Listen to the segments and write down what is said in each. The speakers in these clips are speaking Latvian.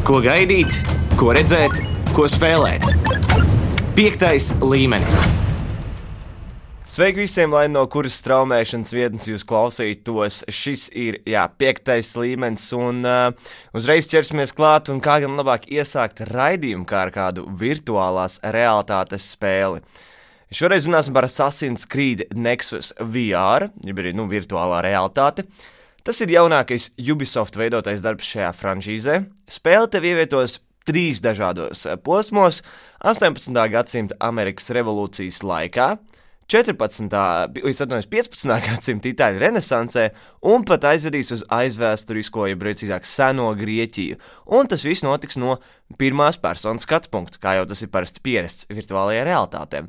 Ko gaidīt, ko redzēt, ko spēlēt. 5. līmenis. Sveiki visiem, lai no kuras straumēšanas vietnes jūs klausītos. Šis ir, 5. līmenis, un uzreiz ķersimies klāt, un kā gan labāk iesākt raidījumu kā ar kādu virtuālās realitātes spēli. Šoreiz runāsim par Assassin's Creed Nexus VR, jeb arī, virtuālā realitāte. Tas ir jaunākais Ubisoft veidotais darbs šajā franšīzē. Spēle tev ievietos 3 dažādos posmos - 18. gadsimta Amerikas revolūcijas laikā, 15. gadsimta Itāļu renesansē un pat aizvedīs uz aizvēsturisko, jeb precīzāk seno Grieķiju. Un tas viss notiks no pirmās personas skatu punkta, kā jau tas ir parasts pierasts virtuālajā realitātē.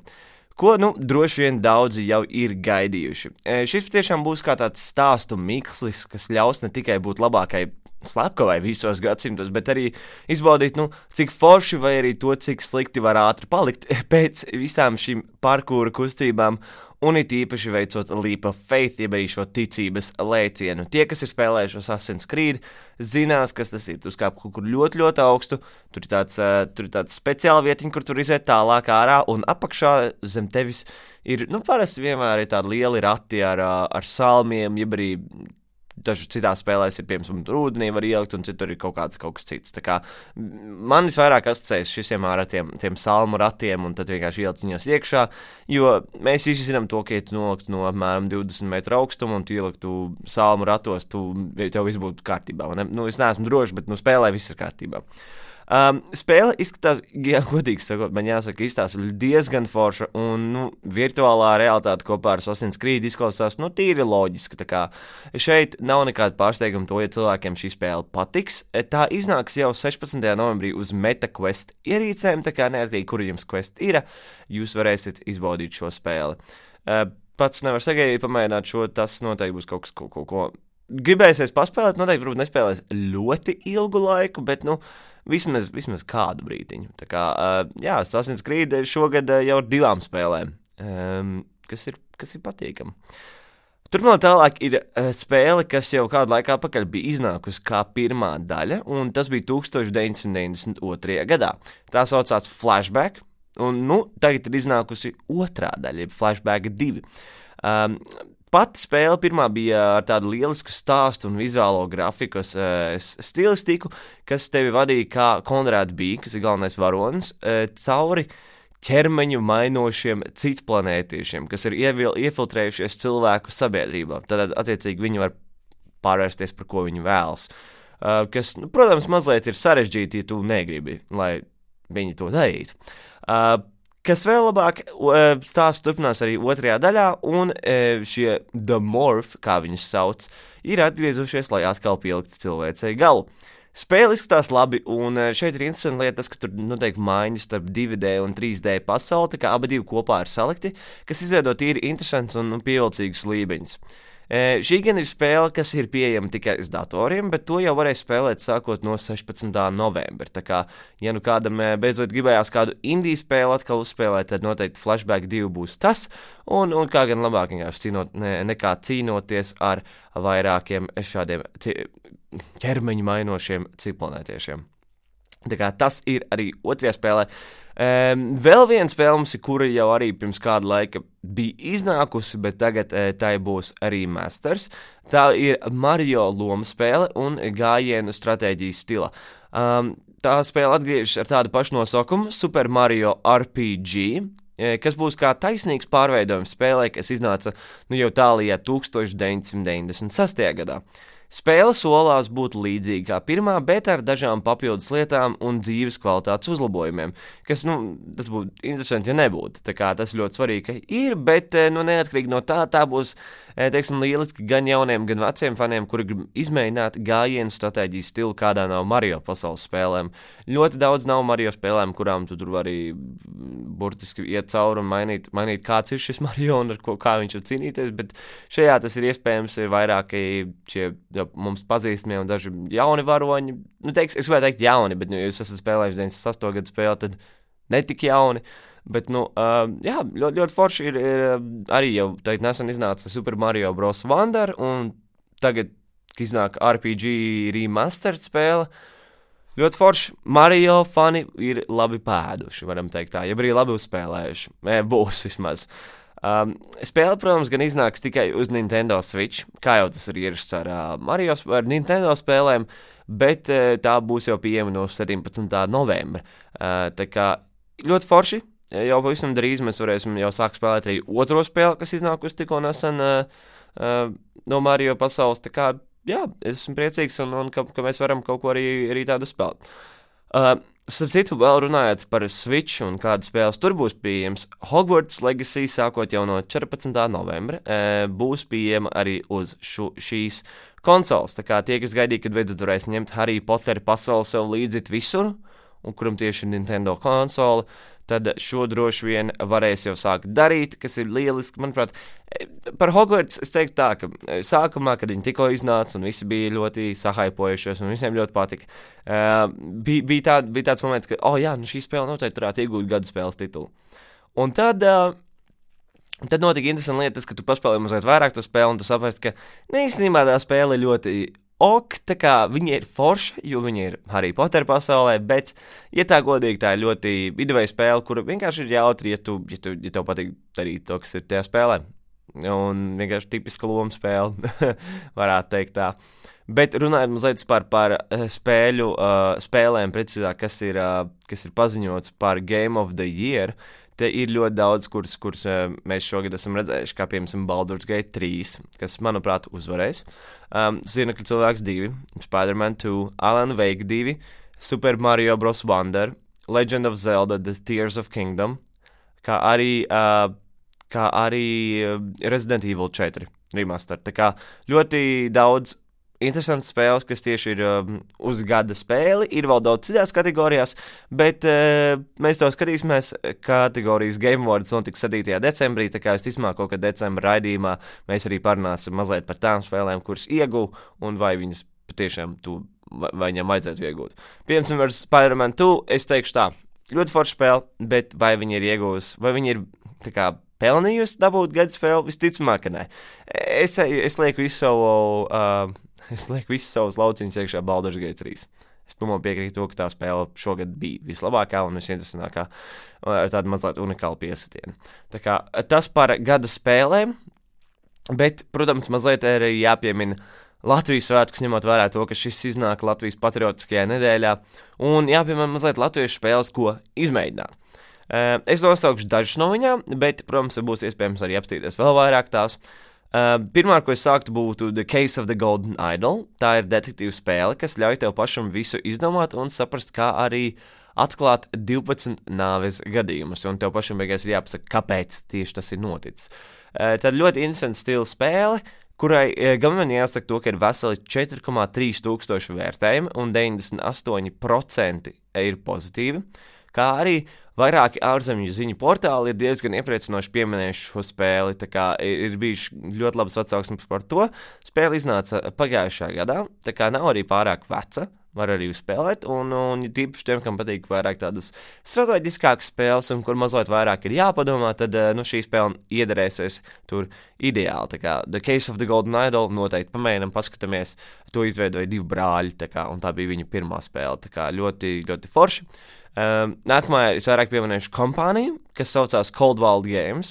Ko, droši vien daudzi jau ir gaidījuši. Šis tiešām būs kā tāds stāstu mikslis, kas ļaus ne tikai būt labākai slepkavai visos gadsimtos, bet arī izbaudīt, cik forši vai arī to, cik slikti var ātri palikt pēc visām šīm parkūra kustībām, un it īpaši veicot leap of faith, jeb arī šo ticības lēcienu. Tie, kas ir spēlējuši Assassin's Creed, zinās, kas tas ir. Tu skāp kaut kur ļoti, ļoti augstu, tur ir tāds speciāla vietiņa, kur tur iziet tālāk ārā, un apakšā zem tevis ir, parasti vienmēr ir tādi lieli rati ar salmiem, jeb arī daži citās spēlēs ir, piemēram, tur ūdenī var ielikt, un citur ir kaut kas cits. Tā kā man visvairāk asociējas šisiem ar tiem salmu ratiem, un tad vienkārši ielikt viņos iekšā, jo mēs visi zinām to, ka, ja tu noliktu no apmēram 20 metru augstuma, un tu ieliktu salmu ratos, tev viss būtu kārtībā. Es neesmu drošs, bet spēlē viss ir kārtībā. Spēle izskatās, godīgi sakot, man jāsaka, izstāsta diezgan forša, un virtuālā realitāte kopā ar Assassin's Creed izklausās tīri loģiski. Tā kā šeit nav nekāda pārsteiguma to, ja cilvēkiem šī spēle patiks. Tā iznāks jau 16. novembrī uz MetaQuest ierīcēm, tā kā neatkarīgi, kur jums Quest ir, jūs varēsiet izbaudīt šo spēli. Pats nevar sagaidīt pamēģināt šo, tas noteikti būs kaut ko. Gribēsies paspēlēt, noteikti varbūt nespēlēs ļoti ilgu laiku, bet, vismaz kādu brītiņu. Tā kā, Assassin's Creed šogad jau ar 2 spēlēm, kas ir patīkami. Turpinot tālāk ir spēle, kas jau kādu laiku atpakaļ bija iznākusi kā pirmā daļa, un tas bija 1992. gadā. Tā saucās Flashback, un tagad ir iznākusi otrā daļa, Flashback 2. Pati spēle pirmā bija ar tādu lielisku stāstu un vizuālo grafikas stilistiku, kas tevi vadīja kā Konrāds bija, kas ir galvenais varonis, cauri ķermeņu mainošiem citplanētiešiem, kas ir iefiltrējušies cilvēku sabiedrībā. Tad, attiecīgi, viņi var pārvērsties, par ko viņi vēlas. Kas, protams, mazliet ir sarežģīti, ja tu negribi, lai viņi to darītu. Kas vēl labāk, stāsts turpinās arī otrajā daļā, un šie The Morph, kā viņus sauc, ir atgriezušies, lai atkal pieliktu cilvēcei galu. Spēle izskatās labi, un šeit ir interesanti lieta tas, ka tur noteikti maiņas starp 2D un 3D pasauli, tā kā abi divi kopā ir salikti, kas izveido tīri interesants un pievilcīgus līmeņus. Šī gan ir spēle, kas ir pieejama tikai uz datoriem, bet to jau varēs spēlēt sākot no 16. novembra. Tā kā, ja kādam beidzot gribējās kādu indiju spēli atkal uzspēlēt, tad noteikti Flashback 2 būs tas, un kā gan labāk nekā cīnoties ar vairākiem šādiem ķermeņu mainošiem citplanētiešiem. Tā kā tas ir arī otrajā spēlē. Vēl viena spēle mums ir, kura jau arī pirms kāda laika bija iznākusi, bet tagad tai būs remasters. Tā ir Mario lomu spēle un gājienu stratēģijas stila. Tā spēle atgriežas ar tādu pašu nosaukumu Super Mario RPG, kas būs kā taisnīgs pārveidojums spēlē, kas iznāca jau tālajā 1996. gadā. Spēle solās būt līdzīga kā pirmā, bet ar dažām papildus lietām un dzīves kvalitātes uzlabojumiem, kas, tas būtu interesanti, ja nebūtu. Tā kā tas ļoti svarīgi, ka ir, bet, neatkarīgi no tā būs, lieliski gan jauniem, gan veciem faniem, kuri grib izmēģināt gājienu stratēģijas stilu kādā no Mario pasaules spēlēm. Ļoti daudz nav Mario spēlēm, kurām tu tur vari burtiski iet cauri un mainīt kāds ir šis Mario un kā viņš var cīnīties, bet šajā tas ir iespējams, ir vairāki šie mums pazīstamie un daži jauni varoņi. Es gribētu teikt jauni, bet, ja jūs esat spēlējuši 98. gadu spēli, tad netik jauni. Bet, ļoti forši ir arī jau nesen iznāca Super Mario Bros. Wonder, un tagad, kad iznāk RPG remastered spēle, Ļoti forši. Mario fani ir labi pēduši, varam teikt tā, ja arī labi uzspēlējuši. Būs vismaz. Spēle, protams, gan iznāks tikai uz Nintendo Switch, kā jau tas ir ierasts ar Nintendo spēlēm, bet tā būs jau pieejama no 17. novembra. Tā kā ļoti forši. Jau pavisam drīz mēs varēsim jau sākt spēlēt arī otro spēli, kas iznākusi tikko nesen no Mario pasaules. Tā kā, jā, es esmu priecīgs un ka mēs varam kaut ko arī tādu spēlēt. Starp citu, vēl runājot par Switch un kādas spēles tur būs pieejams, Hogwarts Legacy sākot jau no 14. novembra būs pieejama arī uz šīs konsoles. Tā kā tie, kas gaidīja, kad beidzot varēs ņemt Harry Potter pasauli sev līdzi visur, un kuram tieši ir Nintendo konsole, tad šo droši vien varēs jau sākt darīt, kas ir lieliski. Manuprāt, par Hogwarts es teiktu tā, ka sākumā, kad viņi tikko iznāca un visi bija ļoti sahaipojušies un visiem ļoti patika, bija tāds moments, ka, šī spēle noteikti varētu iegūt gada spēles titulu. Un tad notika interesanti lietas, ka tu paspēlēji mazliet vairāk to spēli un tu saprati, ka īstenībā tā spēle ir ļoti tā kā viņa ir forša, jo viņa ir Harry Potter pasaulē, bet, ja tā godīgi, tā ir ļoti ideja spēle, kura vienkārši ir jautri, ja tev patīk darīt to, kas ir tajā spēlē. Un vienkārši tipiska loma spēle, varētu teikt tā. Bet runājot mazliet par spēlēm, precīzāk, kas ir paziņots par Game of the Year, te ir ļoti daudz, kurus mēs šogad esam redzējuši, kā piemēram Baldur's Gate 3, kas, manuprāt, uzvarēs. Zirnekļu cilvēks 2, Spider-Man 2, Alan Wake 2, Super Mario Bros. Wonder, Legend of Zelda, The Tears of Kingdom, kā arī Resident Evil 4 remaster. Tā kā ļoti daudz interesants spēles, kas tieši ir uz gada spēli, ir vēl daudz citās kategorijās, bet mēs to skatīsimies. Kategorijas Game Awards notiks 7. decembrī, tā kā es ticamāk kaut kad decembra raidījumā mēs arī parunāsim mazliet par tām spēlēm, kuras ieguv un vai viņas patiešām vai viņam vajadzētu iegūt. Piemēram, ar Spider-Man 2 es teikšu tā, ļoti forša spēle, bet vai viņa ir iegūs, vai viņa ir tā kā pelnījusi dabūt gada spēli, visticamāk, ka nē. Es lieku visu savus lauciņus iekšā Baldur's Gate 3. Es pilnībā piekrītu to, ka tā spēle šogad bija vislabākā un visinteresantākā ar tādu mazliet unikālu piesatienu. Tā kā tas par gada spēlēm, bet, protams, mazliet arī jāpiemina Latvijas svētkus, ņemot vērā to, ka šis iznāk Latvijas patriotiskajā nedēļā, un jāpiemina mazliet latviešu spēles, ko izmēģināt. Es nosaukšu dažas no viņām, bet, protams, būs iespējams arī apstīties vēl vairāk tās. Pirmā, ko es sāktu, būtu The Case of the Golden Idol. Tā ir detektīva spēle, kas ļauj tev pašam visu izdomāt un saprast, kā arī atklāt 12 nāves gadījumus, un tev pašam beigās ir jāpasaka, kāpēc tieši tas ir noticis. Tad ļoti interesanta stila spēle, kurai gan man jāsaka to, ka ir veseli 4,3 tūkstoši vērtējumi un 98% ir pozitīvi, kā arī vairāki ārzemju ziņu portāli ir diezgan iepriecinoši pieminējuši šo spēli, tā kā ir bijuši ļoti labas atsauksmes par to. Spēle iznāca pagājušā gadā, tā kā nav arī pārāk veca, var arī uzspēlēt, un tīpaši tiem, kam patīk vairāk tādas strateģiskākas spēles, un kur mazliet vairāk ir jāpadomā, tad šī spēle iederēsies tur ideāli. Tā kā The Case of the Golden Idol noteikti pamēģinam, paskatāmies, to izveidoja 2 brāļi, tā kā, un tā bija viņa pirmā spēle, tā kā ļoti, ļoti forši. Nākamā es vairāk pieminēšu kompāniju, kas saucās Coldwall Games,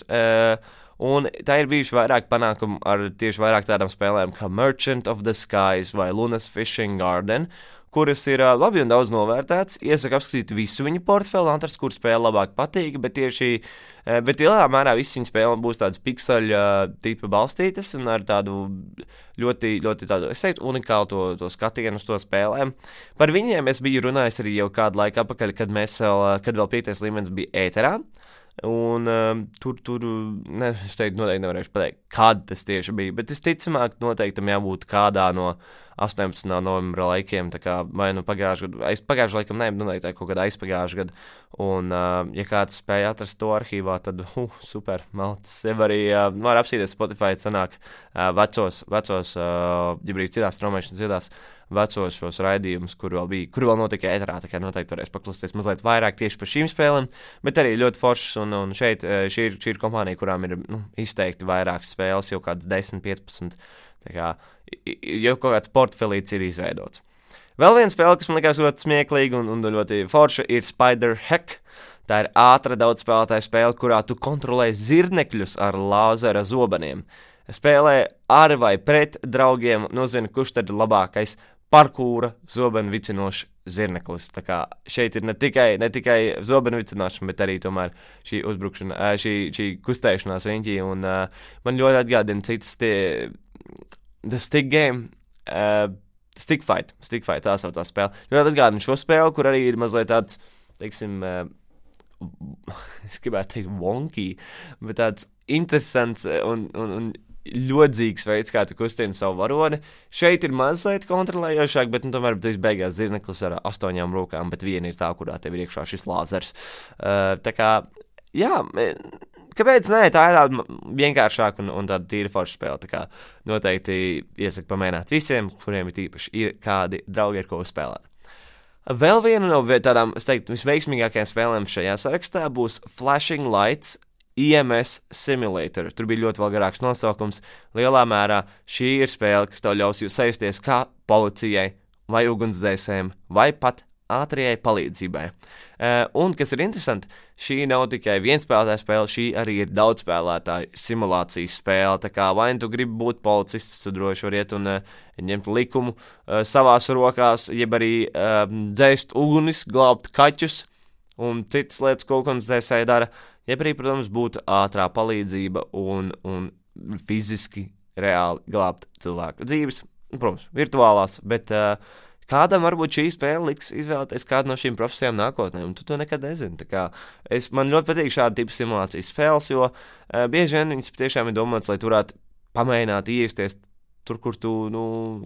un tā ir bijuši vairāk panākumu ar tieši vairāk tādām spēlēm kā Merchant of the Skies vai Lunas Fishing Garden, kuras ir labi un daudz novērtētas. Iesaku apskatīt visu viņu portfeli, atrast, kur spēle labāk patīk, bet lielā mērā visas viņa spēle būs tādas pikseļu tipa balstītas un ar tādu ļoti, ļoti tādu, es teiktu, unikālu to skatienu uz to spēlēm. Par viņiem es biju runājis arī jau kādu laiku atpakaļ, kad vēl 5. līmenis bija ēterā. Un tur es teiktu, noteikti nevarēšu pateikt, kad tas tieši bija, bet es ticamāk noteikti tam jābūt kādā no 18. novembra laikiem, tā kā vai nu pagājušajā gadu, pagājušajā laikam noteikti kaut kādā aizpagājušajā gadu, un ja kāds spēja atrast to arhīvā, tad super, maltas, jau arī var apsīties Spotify, sanāk vecos, ja brīd citās straumēšanas vietās, vecos šos raidījumus, kur vēl notika ēterā, tā kā noteikti varēs paklausīties mazliet vairāk tieši par šīm spēlēm, bet arī ļoti foršas, un šeit šī ir kompānija, kurām ir izteikti vairāk spēles, jau kāds 10, 15, tā kā jau kaut kāds portfelīts ir izveidots. Vēl viena spēle, kas man likās ļoti smieklīga un ļoti forša, ir Spider Hack. Tā ir ātra daudzspēlētāja spēle, kurā tu kontrolē zirnekļus ar lāzera zobeniem. Spēlē ar vai pret draugiem, nozina, kurš tad ir labākais parkūra zobenu vicinošs zirneklis. Tā kā šeit ir ne tikai zobenu vicināšana, bet arī tomēr šī uzbrukšana, šī kustēšanās riņķī. Un man ļoti atgādina cits The Stick Game, Stick Fight, tā sauc tā spēle. Ļoti atgādina šo spēli, kur arī ir mazliet tāds, teiksim, es gribētu teikt wonky, bet tāds interesants un ļodzīgs veids, kā tu kustini savu varoni. Šeit ir mazliet kontrolējošāk, bet tomēr tu beigās zirneklis ar 8 rokām, bet viena ir tā, kurā tev ir iekšā šis lāzers. Tā kā, jā, kāpēc nē, tā ir tāda vienkāršāka un tāda tīra forša spēle. Tā kā noteikti iesaku pamēģināt visiem, kuriem ir tīpaši ir kādi draugi, ar ko spēlēt. Vēl viena no tādām, es teiktu, visveiksmīgākajām spēlēm šajā sarakstā būs Flashing Lights EMS Simulator. Tur bija ļoti vēl garāks nosaukums. Lielā mērā šī ir spēle, kas tev ļaus jūs sajusties kā policijai vai ugunsdzēsējiem vai pat ātrajai palīdzībai. Un, kas ir interesanti, šī nav tikai vienspēlētāja spēle, šī arī ir daudzspēlētāju simulācijas spēle. Tā kā vai tu gribi būt policists, tu droši var iet un ņemt likumu savās rokās, jeb arī dzēst ugunis, glābt kaķus un citas lietas, ko ugunsdzēsēji dara. Jeb arī, protams, būtu ātrā palīdzība un fiziski reāli glābt cilvēku dzīves. Protams, virtuālās, bet kādam varbūt šī spēle liks izvēlēties kādu no šīm profesijām nākotnē, un tu to nekad nezini. Tā kā man ļoti patīk šāda tipa simulācijas spēles, jo bieži vien viņas tiešām ir domāts, lai tu varētu pamēģināt iesties tur, kur tu,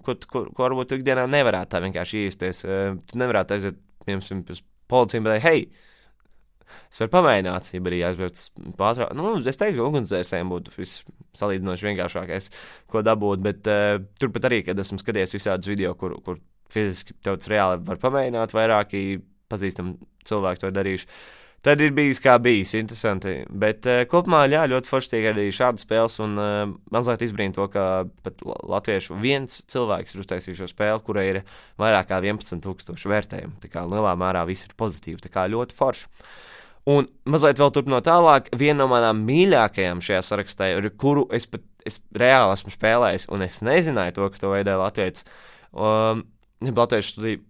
ko varbūt tu ikdienā nevarētu tā vienkārši iesties. Tu nevarētu aiziet, piemēram, pēc policijas, bet hei, es varu pamēģināt, ja arī aizbraukt pātrāk. Es teiktu, ka ugunsdzēsējiem būtu salīdzinoši vienkāršākais, ko dabūt, bet turpat arī, kad esmu skatījies visādus video, kur fiziski tev tas reāli var pamēģināt, vairāki pazīstami cilvēki to darījuši. Tad ir bijis kā bijis, interesanti, bet kopumā ļoti forši tiek arī šādas spēles, un mazliet izbrīna to, ka pat latviešu viens cilvēks ir uztaisījis šo spēli, kurai ir vairāk kā 11,000 vērtējumu. Tā kā lielā mērā viss ir pozitīvi, tā kā ļoti forši. Un mazliet vēl turpinot tālāk, viena no manām mīļākajām šajā sarakstā, kuru es reāli esmu spēlējis, un es nezināju to, ka to veidoja latviešu studiju.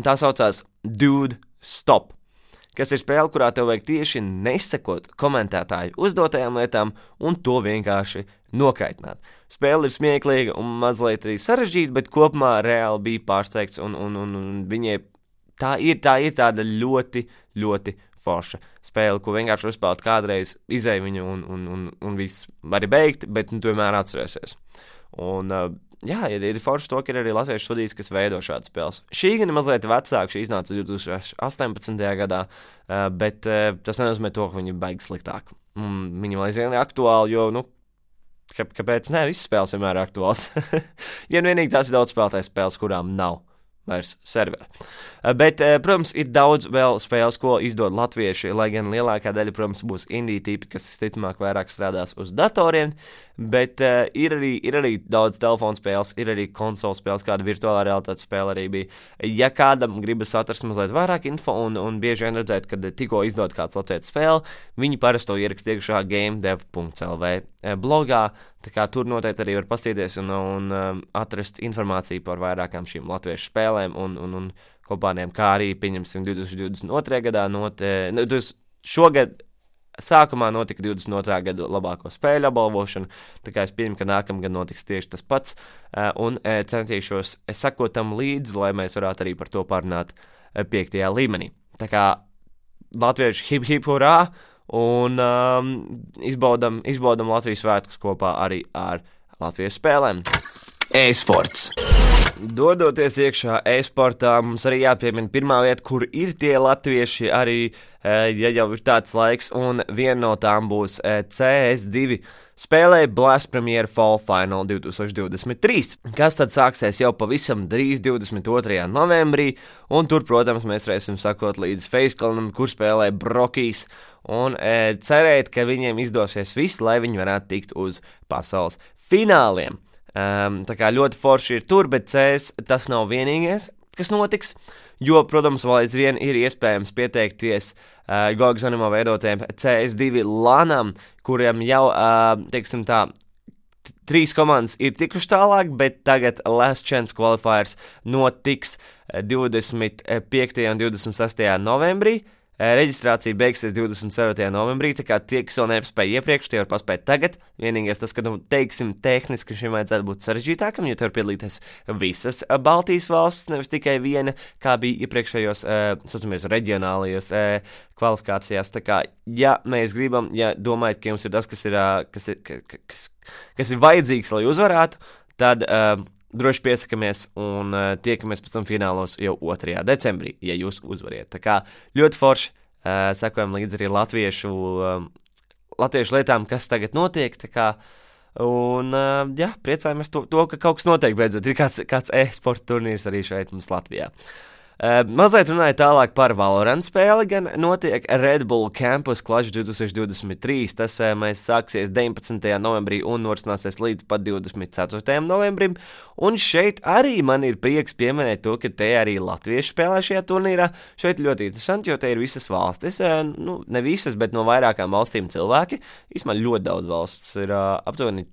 Tā saucās Dude Stop, kas ir spēle, kurā tev vajag tieši nesekot komentētāju uzdotajām lietām un to vienkārši nokaitināt. Spēle ir smieklīga un mazliet arī sarežģīta, bet kopumā reāli bija pārsteigts un viņai tā ir tāda ļoti, ļoti forša spēle, ko vienkārši uzspēlēt kādreiz, izēj viņu un viss var beigt, bet tu vienmēr atcerēsies. Un ir forši to, ka ir arī latviešu studijas, kas veido šādas spēles. Šī gan ir mazliet vecāka, šī iznāca 2018. gadā, bet tas nenozīmē to, ka viņi baigi sliktāk. Viņi vēl aizvien ir aktuāli, jo, kāpēc ne, visas spēles vienmēr ir aktuāls. Ja vienīgi tās ir daudz spēlētāju spēles, kurām nav vairs serveri. Bet, protams, ir daudz vēl spēles, ko izdod latvieši, lai gan lielākā daļa, protams, būs indie tipi, kas visticamāk vairāk strādās uz datoriem, bet ir arī daudz telefonu spēles, ir arī konsolu spēles, kāda virtuālā realitātes spēle arī bija. Ja kādam gribas atrast mazliet vairāk info un bieži vien redzēt, kad tikko izdod kāds latviešu spēle, viņi parasti to ierakst iekšā gamedev.lv blogā, tā kā tur noteikti arī var paskatīties un atrast informāciju par vairākām šīm latviešu spēlēm un kompānijām, kā arī, pieņemsim, 2022. gadā šogad sākumā notika 22. gada labāko spēļu apbalvošana, tā kā es pieņemu, ka nākamgad notiks tieši tas pats, un centīšos sekot tam līdzi, lai mēs varētu arī par to parunāt 5. līmenī. Tā kā latvieši hip hip hurrā, un izbaudam Latvijas svētkus kopā arī ar Latvijas spēlēm. E-sports. Dodoties iekšā e-sportā, mums arī jāpiemina pirmā vieta, kur ir tie latvieši arī, ja jau ir tāds laiks, un viena no tām būs CS2 spēlē Blast Premier Fall Final 2023, kas tad sāksies jau pavisam drīz 22. novembrī, un tur, protams, mēs varēsim sakot līdz Facekalnam, kur spēlē Brokijs, un cerēt, ka viņiem izdosies viss, lai viņi varētu tikt uz pasaules fināliem. Tā kā ļoti forši ir tur, bet CS tas nav vienīgais, kas notiks, jo, protams, vēl aizvien ir iespējams pieteikties Gogs Animo veidotiem CS2 lanam, kuriem jau, teiksim tā, 3 komandas ir tikuši tālāk, bet tagad Last Chance Qualifiers notiks 25. un 26. novembrī. Reģistrācija beigsies 24. novembrī, tā kā tie, kas vēl nepaspēja iepriekš, tie var paspēt tagad. Vienīgais tas, ka, teiksim, tehniski šim vajadzētu būt sarežģītākam, jo te var piedalīties visas Baltijas valsts, nevis tikai viena, kā bija iepriekšējos, saucamies, reģionālajos kvalifikācijās. Tā kā, ja mēs gribam, ja domājat, ka jums ir tas, kas ir vajadzīgs, lai uzvarētu, tad droši piesakamies un tiekamies pēc tam finālos jau 2. decembrī, ja jūs uzvariet. Tā kā ļoti forši sekojam līdz arī latviešu lietām, kas tagad notiek. Tā kā, un jā, priecājamies to, ka kaut kas notiek beidzot. Ir kāds e-sporta turnīrs arī šeit mums Latvijā. Mazliet runāja tālāk par Valorant spēli, gan notiek Red Bull Campus Clash 2023, tas mēs sāksies 19. novembrī un norisināsies līdz pat 24. novembrim, un šeit arī man ir prieks pieminēt to, ka te arī latvieši spēlē šajā turnīrā. Šeit ļoti interesanti, jo te ir visas valstis, ne visas, bet no vairākām valstīm cilvēki, īstumā ļoti daudz valsts, ir aptuveni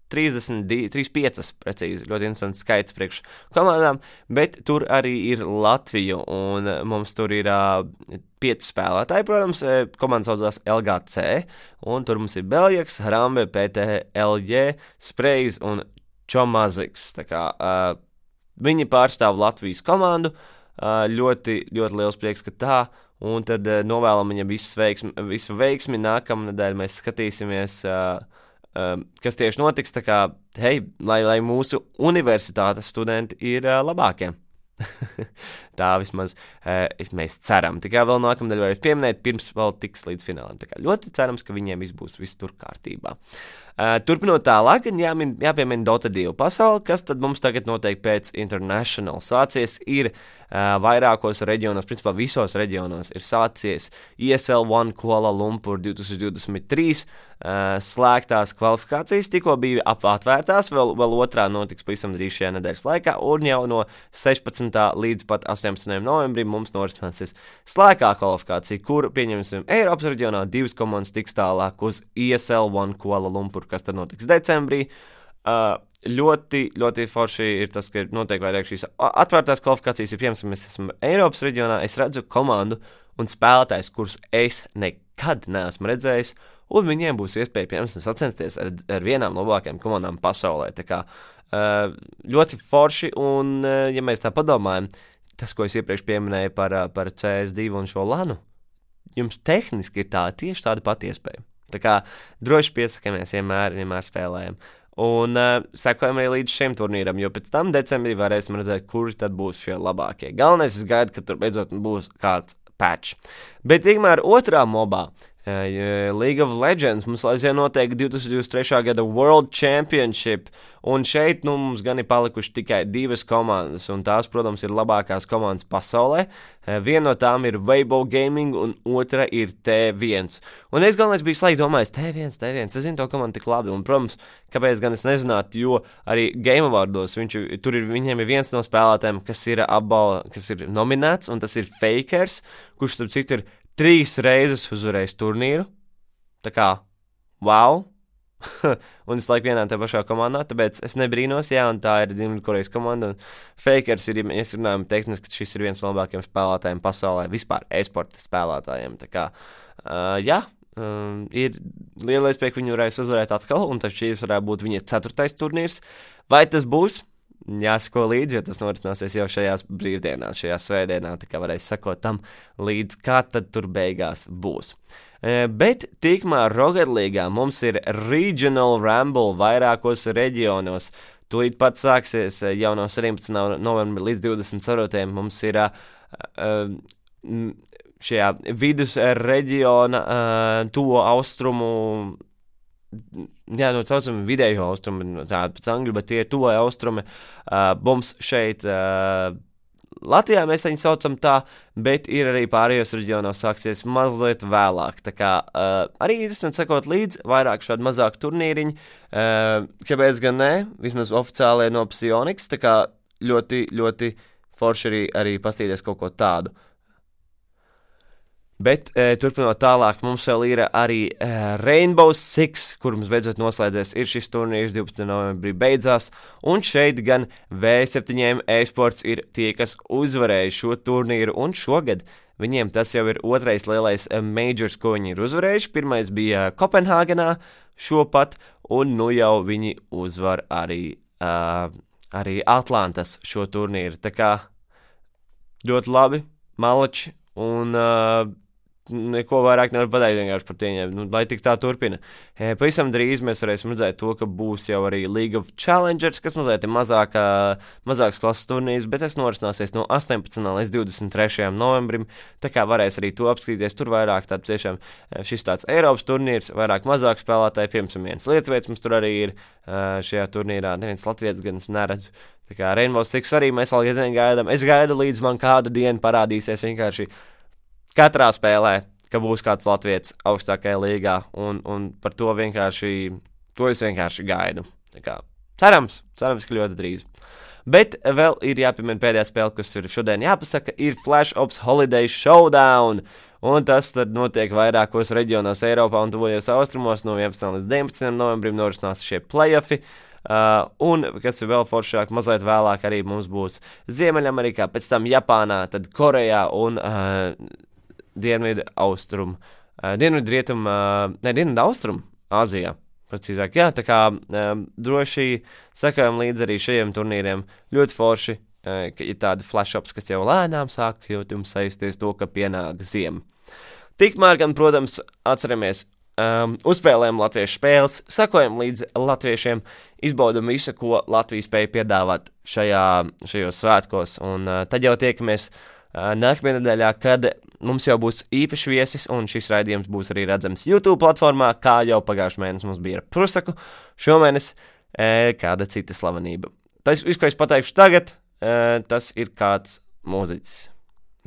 35 precīzi, ļoti interesants skaits priekš komandām, bet tur arī ir Latvija, un mums tur ir 5 spēlētāji, protams, komandas saucās LGC, un tur mums ir Beljaks, Hrambe, PTLJ, Sprejs un Čomaziks, tā kā viņi pārstāv Latvijas komandu, ļoti, ļoti liels prieks, ka tā, un tad novēlam viņam visu veiksmi, nākamnedēļ mēs skatīsimies, kas tieši notiks, tā kā, hei, lai mūsu universitātes studenti ir labākie. Tā vismaz mēs ceram. Tikai vēl nākamnedēļ varēs pieminēt, pirms vēl tiks līdz finālam. Tā kā ļoti cerams, ka viņiem viss tur kārtībā. Turpinot tālāk, jāpiemina Dota 2 pasauli, kas tad mums tagad notiek pēc International. Sācies ir vairākos reģionos, principā visos reģionos ir sācies ESL One Kuala Lumpur 2023 slēgtās kvalifikācijas, tikko bija atvērtās, vēl otrā notiks pavisam drīz šajā nedēļas laikā, un jau no 16. līdz pat 18. novembrim mums norisināsies slēgtā kvalifikācija, kur, pieņemsim, Eiropas reģionā 2 komandas tiks tālāk uz ESL One Kuala Lumpur, kas tad notiks decembrī. Ļoti, ļoti forši ir tas, ka notiek vairāk šīs atvērtās kvalifikācijas, ja piemēram mēs esam Eiropas reģionā, es redzu komandu un spēlētājs, kurus es nekad neesmu redzējis, un viņiem būs iespēja, piemēram, sacensties ar vienām no labākajām komandām pasaulē. Tā kā ļoti forši, un ja mēs tā padomājam, tas, ko es iepriekš pieminēju par CS2 un šo lanu, jums tehniski ir tieši tāda pati iespēja. Tā kā droši piesakamies, vienmēr spēlējam. Un sekojam arī līdz šim turnīram, jo pēc tam decembrī varēsim redzēt, kuri tad būs šie labākie. Galvenais, es gaidu, ka tur beidzot būs kāds patch. Bet tikmēr otrā mobā, League of Legends, mums aizvien notiek 2023. gada World Championship, un šeit mums gan ir palikuši tikai 2 komandas, un tās, protams, ir labākās komandas pasaulē. Viena no tām ir Weibo Gaming, un otra ir T1. Un es galvenais biju slēgt domājis, T1, es zinu to komandu tik labi, un, protams, kāpēc gan es nezinātu, jo arī Game Awardos viņiem ir viens no spēlētājiem, kas ir nominēts, un tas ir Fakers, kurš, starp citu, ir 3 reizes uzvarējis turnīru. Tā kā, wow! Un es laiku vienā tā pašā komandā, tāpēc es nebrīnos, un tā ir Dienvidkorejas komanda. Un Fakers ir, ja mēs runājam tehniski, ka šis ir viens no labākajiem spēlētājiem pasaulē, vispār e-sporta spēlētājiem. Tā kā, ir liela iespēja, ka viņi varēs uzvarēt atkal, un tas šīs varētu būt viņa 4. turnīrs. Vai tas būs? Jāsako līdzi, jo tas norisināsies jau šajās brīvdienās, šajā svētdienā, tā kā varēs sakot tam līdz, kā tad tur beigās būs. Bet tikmēr Rocket League'ā mums ir Regional Rumble vairākos reģionos. Tūlīt pat sāksies jau no 17. novembra līdz 24. Mums ir šajā vidus reģiona tuvo austrumu, saucam vidējo austrumu, tāda pēc angļu, bet tie tuvoja austrumi. Mums šeit Latvijā mēs viņu saucam tā, bet ir arī pārējos reģionos sāksies mazliet vēlāk. Tā kā arī interesanti sekot līdzi, vairāk šādu mazāku turnīriņu. Kāpēc gan ne? Vismaz oficiālie no Psionics, tā kā ļoti, ļoti forši arī pastīties kaut ko tādu. Bet turpinot tālāk, mums vēl ir arī Rainbow Six, kur mums beidzot noslēdzies. Ir šis turnīrs 12. novembrī beidzās, un šeit gan V7 e-sports ir tie, kas uzvarēja šo turnīru, un šogad viņiem tas jau ir otrais lielais majors, ko viņi ir uzvarējuši. Pirmais bija Kopenhāgenā šopat, un nu jau viņi uzvar arī Atlantas šo turnīru. Tā kā ļoti labi, malači, un neko vairāk nevar pateikt vienkārši par tiem, lai tik tā turpina. Pavisam drīz mēs varēsim redzēt to, ka būs jau arī League of Challengers, kas mazliet ir mazāks klases turnīrs, bet tas norisināsies no 18. līdz 23. novembrim, tā kā varēs arī to apskatīties. Tur vairāk tāds tiešām šis tāds Eiropas turnīrs, vairāk mazāk spēlētāji, piemēram, viens lietuvietis mums tur arī ir šajā turnīrā, neviens latvietis gan es neredzu. Tā kā Rainbow Six arī mēs vēl gaidām. Es gaidu, līdz man kādu dienu parādīsies vienkārši katrā spēlē, ka būs kāds latvietis augstākajā līgā, un par to es vienkārši gaidu. Tā kā cerams, ka ļoti drīz. Bet vēl ir jāpiemina pēdējā spēle, kas ir šodien jāpasaka, ir Flash Ops Holiday Showdown, un tas tad notiek vairākos reģionos Eiropā un tuvojos austrumos. No 11. līdz 19. novembrim norisinās šie playoffi. Un, kas ir vēl foršāk, mazliet vēlāk arī mums būs Ziemeļamerikā, pēc tam Japānā, tad Korejā un Dienvidu austrum Āzijā, precīzāk, jā, tā kā droši sekojam līdz arī šajiem turnīriem, ļoti forši, ka ir tādi flash-ups, kas jau lēnām sāk, jo jums saisties to, ka pienāk ziema. Tikmēr gan, protams, atceramies, uzspēlējam latviešu spēles, sekojam līdz latviešiem, izbaudam visu, ko Latvija spēja piedāvāt šajos svētkos, un tad jau tiekamies nākamajā nedēļā, kad mums jau būs īpašs viesis, un šis raidījums būs arī redzams YouTube platformā, kā jau pagājušajā mēnesī mums bija ar Prusaku, šomēnes kāda cita slavenība. Tas, ko es pateikšu tagad, tas ir kāds mūziķis,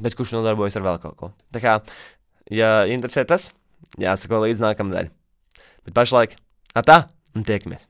bet kurš nodarbojas ar vēl kaut ko. Tā kā, ja interesē tas, jāsako līdz nākamnedēļ. Bet pašlaik, atā, un tiekamies!